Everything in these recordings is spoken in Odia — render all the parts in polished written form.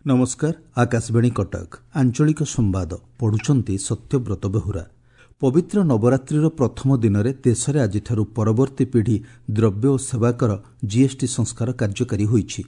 ନମସ୍କାର, ଆକାଶବାଣୀ କଟକ, ଆଞ୍ଚଳିକ ସମ୍ବାଦ ପଢୁଛନ୍ତି ସତ୍ୟବ୍ରତ ବେହୁରା। ପବିତ୍ର ନବରାତ୍ରିର ପ୍ରଥମ ଦିନରେ ଦେଶରେ ଆଜିଠାରୁ ପରବର୍ତ୍ତୀ ପିଢ଼ି ଦ୍ରବ୍ୟ ଓ ସେବାକର ଜିଏସ୍ଟି ସଂସ୍କାର କାର୍ଯ୍ୟକାରୀ ହୋଇଛି।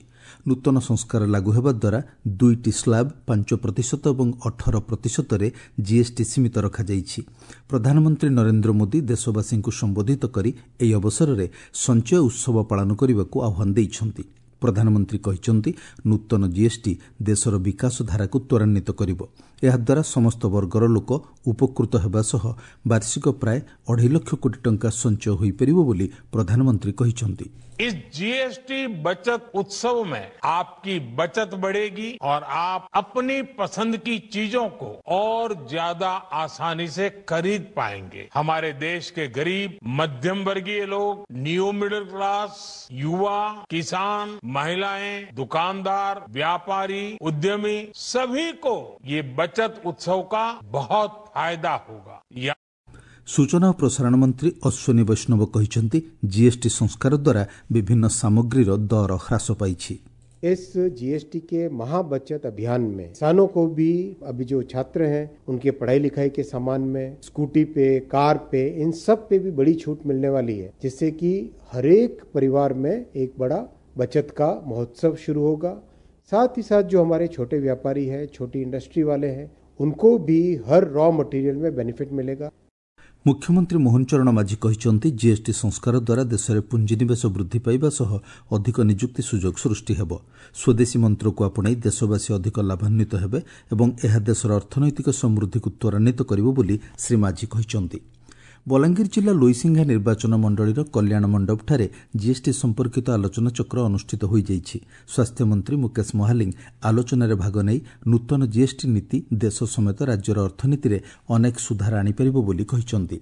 ନୂତନ ସଂସ୍କାର ଲାଗୁ ହେବା ଦ୍ୱାରା ଦୁଇଟି ସ୍ଲାବ୍ 5% ଏବଂ 18%ରେ ଜିଏସ୍ଟି ସୀମିତ ରଖାଯାଇଛି। ପ୍ରଧାନମନ୍ତ୍ରୀ ନରେନ୍ଦ୍ର ମୋଦି ଦେଶବାସୀଙ୍କୁ ସମ୍ବୋଧିତ କରି ଏହି ଅବସରରେ ସଞ୍ଚୟ ଉତ୍ସବ ପାଳନ କରିବାକୁ ଆହ୍ୱାନ ଦେଇଛନ୍ତି। ପ୍ରଧାନମନ୍ତ୍ରୀ କହିଛନ୍ତି, ନୂତନ ଜିଏସ୍ଟି ଦେଶର ବିକାଶ ଧାରାକୁ ତ୍ୱରାନ୍ୱିତ କରିବ। ଏହାଦ୍ୱାରା ସମସ୍ତ ବର୍ଗର ଲୋକ ଉପକୃତ ହେବା ସହ ବାର୍ଷିକ ପ୍ରାୟ 2.5 ଲକ୍ଷ କୋଟି ଟଙ୍କା ସଞ୍ଚୟ ହୋଇପାରିବ ବୋଲି ପ୍ରଧାନମନ୍ତ୍ରୀ କହିଛନ୍ତି। इस जीएसटी बचत उत्सव में आपकी बचत बढ़ेगी और आप अपनी पसंद की चीजों को और ज्यादा आसानी से खरीद पाएंगे। हमारे देश के गरीब, मध्यम वर्गीय लोग, न्यू मिडिल क्लास, युवा, किसान, महिलाएं, दुकानदार, व्यापारी, उद्यमी, सभी को ये बचत उत्सव का बहुत फायदा होगा। ସୂଚନା ଓ ପ୍ରସାରଣ ମନ୍ତ୍ରୀ ଅଶ୍ୱିନୀ ବୈଷ୍ଣବ କହିଛନ୍ତି, ଜିଏସ୍ଟି ସଂସ୍କାର ଦ୍ୱାରା ବିଭିନ୍ନ ସାମଗ୍ରୀର ଦର ହ୍ରାସ ପାଇଛି। इस जीएसटी के महाबचत अभियान में किसानों को भी, अभी जो छात्र हैं उनके पढ़ाई लिखाई के सामान में, स्कूटी पे, कार पे, इन सब पे भी बड़ी छूट मिलने वाली है, जिससे कि हरेक परिवार में एक बड़ा बचत का महोत्सव शुरू होगा। साथ ही साथ जो हमारे छोटे व्यापारी हैं, छोटी इंडस्ट्री वाले हैं, उनको भी हर रॉ मटेरियल में बेनिफिट मिलेगा। ମୁଖ୍ୟମନ୍ତ୍ରୀ ମୋହନ ଚରଣ ମାଝୀ କହିଛନ୍ତି, ଜିଏସ୍ଟି ସଂସ୍କାର ଦ୍ୱାରା ଦେଶରେ ପୁଞ୍ଜିନିବେଶ ବୃଦ୍ଧି ପାଇବା ସହ ଅଧିକ ନିଯୁକ୍ତି ସୁଯୋଗ ସୃଷ୍ଟି ହେବ। ସ୍ୱଦେଶୀ ମନ୍ତ୍ରକୁ ଆପଣେଇ ଦେଶବାସୀ ଅଧିକ ଲାଭାନ୍ୱିତ ହେବେ ଏବଂ ଏହା ଦେଶର ଅର୍ଥନୈତିକ ସମୃଦ୍ଧିକୁ ତ୍ୱରାନ୍ୱିତ କରିବ ବୋଲି ଶ୍ରୀ ମାଝୀ କହିଛନ୍ତି। ବଲାଙ୍ଗୀର ଜିଲ୍ଲା ଲୋଇସିଂହା ନିର୍ବାଚନ ମଣ୍ଡଳୀର କଲ୍ୟାଣ ମଣ୍ଡପଠାରେ ଜିଏସ୍ଟି ସମ୍ପର୍କିତ ଆଲୋଚନାଚକ୍ର ଅନୁଷ୍ଠିତ ହୋଇଯାଇଛି। ସ୍ୱାସ୍ଥ୍ୟମନ୍ତ୍ରୀ ମୁକେଶ ମହାଲିଙ୍ଗ ଆଲୋଚନାରେ ଭାଗ ନେଇ ନୂତନ ଜିଏସ୍ଟି ନୀତି ଦେଶ ସମେତ ରାଜ୍ୟର ଅର୍ଥନୀତିରେ ଅନେକ ସୁଧାର ଆଣିପାରିବ ବୋଲି କହିଛନ୍ତି।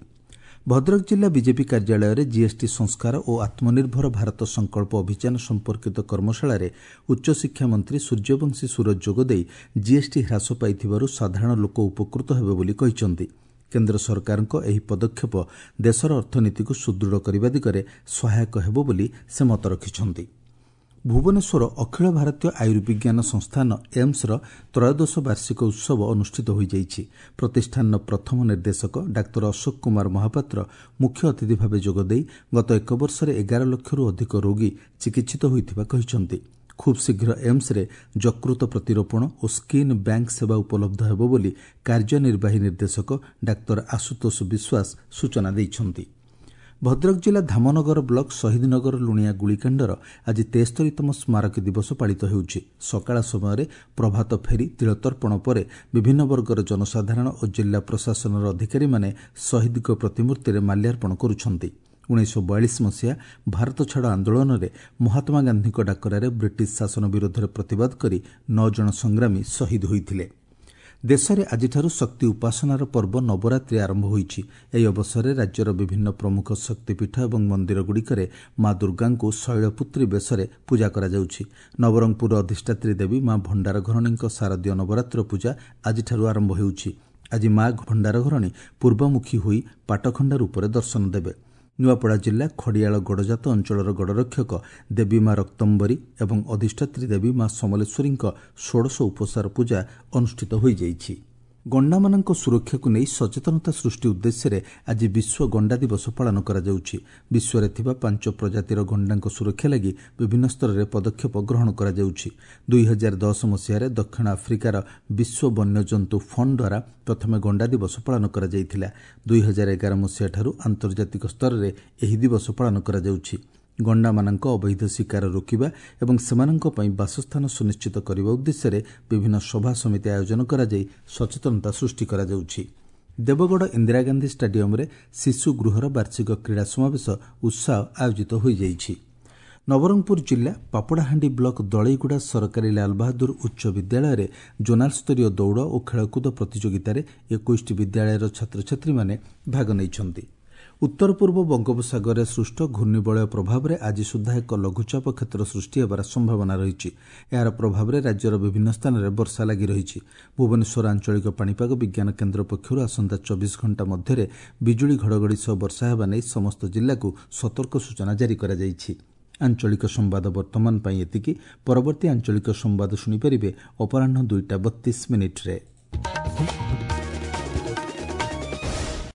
ଭଦ୍ରକ ଜିଲ୍ଲା ବିଜେପି କାର୍ଯ୍ୟାଳୟରେ ଜିଏସ୍ଟି ସଂସ୍କାର ଓ ଆତ୍ମନିର୍ଭର ଭାରତ ସଂକଳ୍ପ ଅଭିଯାନ ସମ୍ପର୍କିତ କର୍ମଶାଳାରେ ଉଚ୍ଚଶିକ୍ଷା ମନ୍ତ୍ରୀ ସୂର୍ଯ୍ୟବଂଶୀ ସୂରଜ ଯୋଗଦେଇ ଜିଏସ୍ଟି ହ୍ରାସ ପାଇଥିବାରୁ ସାଧାରଣ ଲୋକ ଉପକୃତ ହେବେ ବୋଲି କହିଛନ୍ତି। କେନ୍ଦ୍ର ସରକାରଙ୍କ ଏହି ପଦକ୍ଷେପ ଦେଶର ଅର୍ଥନୀତିକୁ ସୁଦୃଢ଼ କରିବା ଦିଗରେ ସହାୟକ ହେବ ବୋଲି ସେ ମତ ରଖିଛନ୍ତି। ଭୁବନେଶ୍ୱର ଅଖିଳ ଭାରତୀୟ ଆୟୁର୍ବିଜ୍ଞାନ ସଂସ୍ଥାନ ଏମ୍ସର ତ୍ରୟୋଦଶ ବାର୍ଷିକ ଉତ୍ସବ ଅନୁଷ୍ଠିତ ହୋଇଯାଇଛି। ପ୍ରତିଷ୍ଠାନର ପ୍ରଥମ ନିର୍ଦ୍ଦେଶକ ଡାକ୍ତର ଅଶୋକ କୁମାର ମହାପାତ୍ର ମୁଖ୍ୟ ଅତିଥି ଭାବେ ଯୋଗଦେଇ ଗତ ଏକ ବର୍ଷରେ 11 ଲକ୍ଷରୁ ଅଧିକ ରୋଗୀ ଚିକିତ୍ସିତ ହୋଇଥିବା କହିଛନ୍ତି। ଖୁବ୍ ଶୀଘ୍ର ଏମ୍ସରେ ଯକୃତ ପ୍ରତିରୋପଣ ଓ ସ୍କିନ୍ ବ୍ୟାଙ୍କ ସେବା ଉପଲବ୍ଧ ହେବ ବୋଲି କାର୍ଯ୍ୟନିର୍ବାହୀ ନିର୍ଦ୍ଦେଶକ ଡାକ୍ତର ଆଶୁତୋଷ ବିଶ୍ୱାସ ସୂଚନା ଦେଇଛନ୍ତି। ଭଦ୍ରକ ଜିଲ୍ଲା ଧାମନଗର ବ୍ଲକ ଶହୀଦନଗର ଲୁଣିଆ ଗୁଳିକାଣ୍ଡର ଆଜି 73ତମ ସ୍ମାରକୀ ଦିବସ ପାଳିତ ହେଉଛି। ସକାଳ ସମୟରେ ପ୍ରଭାତ ଫେରି, ତିଳତର୍ପଣ ପରେ ବିଭିନ୍ନ ବର୍ଗର ଜନସାଧାରଣ ଓ ଜିଲ୍ଲା ପ୍ରଶାସନର ଅଧିକାରୀମାନେ ଶହୀଦଙ୍କ ପ୍ରତିମୂର୍ତ୍ତିରେ ମାଲ୍ୟାର୍ପଣ କରୁଛନ୍ତି। 1942 ମସିହା ଭାରତ ଛାଡ଼ ଆନ୍ଦୋଳନରେ ମହାତ୍ମା ଗାନ୍ଧୀଙ୍କ ଡାକରାରେ ବ୍ରିଟିଶ ଶାସନ ବିରୋଧରେ ପ୍ରତିବାଦ କରି 9 ଜଣ ସଂଗ୍ରାମୀ ଶହୀଦ ହୋଇଥିଲେ। ଦେଶରେ ଆଜିଠାରୁ ଶକ୍ତି ଉପାସନାର ପର୍ବ ନବରାତ୍ରି ଆରମ୍ଭ ହୋଇଛି। ଏହି ଅବସରରେ ରାଜ୍ୟର ବିଭିନ୍ନ ପ୍ରମୁଖ ଶକ୍ତିପୀଠ ଏବଂ ମନ୍ଦିରଗୁଡ଼ିକରେ ମା ଦୁର୍ଗାଙ୍କୁ ଶୈଳପୁତ୍ରୀ ବେଶରେ ପୂଜା କରାଯାଉଛି। ନବରଙ୍ଗପୁରର ଅଧିଷ୍ଠାତ୍ରୀ ଦେବୀ ମା ଭଣ୍ଡାରଘରଣୀଙ୍କ ଶାରଦୀୟ ନବରାତ୍ର ପୂଜା ଆଜିଠାରୁ ଆରମ୍ଭ ହେଉଛି। ଆଜି ମା ଭଣ୍ଡାରଘରଣୀ ପୂର୍ବମୁଖୀ ହୋଇ ପାଟଖଣ୍ଡା ରୂପରେ ଦର୍ଶନ ଦେବେ। ନୂଆପଡ଼ା ଜିଲ୍ଲା ଖଡ଼ିଆଳ ଗଡ଼ଜାତ ଅଞ୍ଚଳର ଗଡ଼ରକ୍ଷକ ଦେବୀ ମା ରକ୍ତମ୍ବରୀ ଏବଂ ଅଧିଷ୍ଠାତ୍ରୀ ଦେବୀ ମା ସମଲେଶ୍ୱରୀଙ୍କ ଷୋଡ଼ଶ ଉପସାର ପୂଜା ଅନୁଷ୍ଠିତ ହୋଇଯାଇଛି। ଗଣ୍ଡାମାନଙ୍କ ସୁରକ୍ଷାକୁ ନେଇ ସଚେତନତା ସୃଷ୍ଟି ଉଦ୍ଦେଶ୍ୟରେ ଆଜି ବିଶ୍ୱ ଗଣ୍ଡା ଦିବସ ପାଳନ କରାଯାଉଛି। ବିଶ୍ୱରେ ଥିବା 5 ପ୍ରଜାତିର ଗଣ୍ଡାଙ୍କ ସୁରକ୍ଷା ଲାଗି ବିଭିନ୍ନ ସ୍ତରରେ ପଦକ୍ଷେପ ଗ୍ରହଣ କରାଯାଉଛି। 2010 ମସିହାରେ ଦକ୍ଷିଣ ଆଫ୍ରିକାର ବିଶ୍ୱ ବନ୍ୟଜନ୍ତୁ ଫଣ୍ଡ ଦ୍ୱାରା ପ୍ରଥମେ ଗଣ୍ଡା ଦିବସ ପାଳନ କରାଯାଇଥିଲା। 2011 ମସିହାଠାରୁ ଆନ୍ତର୍ଜାତିକ ସ୍ତରରେ ଏହି ଦିବସ ପାଳନ କରାଯାଉଛି। ଗଣ୍ଡାମାନଙ୍କ ଅବୈଧ ଶିକାର ରୋକିବା ଏବଂ ସେମାନଙ୍କ ପାଇଁ ବାସସ୍ଥାନ ସୁନିଶ୍ଚିତ କରିବା ଉଦ୍ଦେଶ୍ୟରେ ବିଭିନ୍ନ ସଭା ସମିତି ଆୟୋଜନ କରାଯାଇ ସଚେତନତା ସୃଷ୍ଟି କରାଯାଉଛି। ଦେବଗଡ଼ ଇନ୍ଦିରା ଗାନ୍ଧୀ ଷ୍ଟାଡିୟମରେ ଶିଶୁ ଗୃହର ବାର୍ଷିକ କ୍ରୀଡ଼ା ସମାବେଶ ଉତ୍ସାହ ଆୟୋଜିତ ହୋଇଯାଇଛି। ନବରଙ୍ଗପୁର ଜିଲ୍ଲା ପାପଡ଼ାହାଣ୍ଡି ବ୍ଲକ ଦଳେଇଗୁଡ଼ା ସରକାରୀ ଲାଲବାହାଦୁର ଉଚ୍ଚ ବିଦ୍ୟାଳୟରେ ଜୋନାଲ ସ୍ତରୀୟ ଦୌଡ଼ ଓ ଖେଳକୁଦ ପ୍ରତିଯୋଗିତାରେ 21ଟି ବିଦ୍ୟାଳୟର ଛାତ୍ରଛାତ୍ରୀମାନେ ଭାଗ ନେଇଛନ୍ତି। ଉତ୍ତର ପୂର୍ବ ବଙ୍ଗୋପସାଗରରେ ସୃଷ୍ଟ ଘୂର୍ଣ୍ଣିବଳୟ ପ୍ରଭାବରେ ଆଜି ସୁଦ୍ଧା ଏକ ଲଘୁଚାପ କ୍ଷେତ୍ର ସୃଷ୍ଟି ହେବାର ସମ୍ଭାବନା ରହିଛି। ଏହାର ପ୍ରଭାବରେ ରାଜ୍ୟର ବିଭିନ୍ନ ସ୍ଥାନରେ ବର୍ଷା ଲାଗି ରହିଛି। ଭୁବନେଶ୍ୱର ଆଞ୍ଚଳିକ ପାଣିପାଗ ବିଜ୍ଞାନ କେନ୍ଦ୍ର ପକ୍ଷରୁ ଆସନ୍ତା 24 ଘଣ୍ଟା ମଧ୍ୟରେ ବିଜୁଳି ଘଡ଼ଘଡ଼ି ସହ ବର୍ଷା ହେବା ନେଇ ସମସ୍ତ ଜିଲ୍ଲାକୁ ସତର୍କ ସୂଚନା ଜାରି କରାଯାଇଛି। ଆଞ୍ଚଳିକ ସମ୍ବାଦ ବର୍ତ୍ତମାନ ପାଇଁ ଏତିକି। ପରବର୍ତ୍ତୀ ଆଞ୍ଚଳିକ ସମ୍ବାଦ ଶୁଣିପାରିବେ ଅପରାହ୍ନ 2ଟା 32 ମିନିଟ୍ରେ।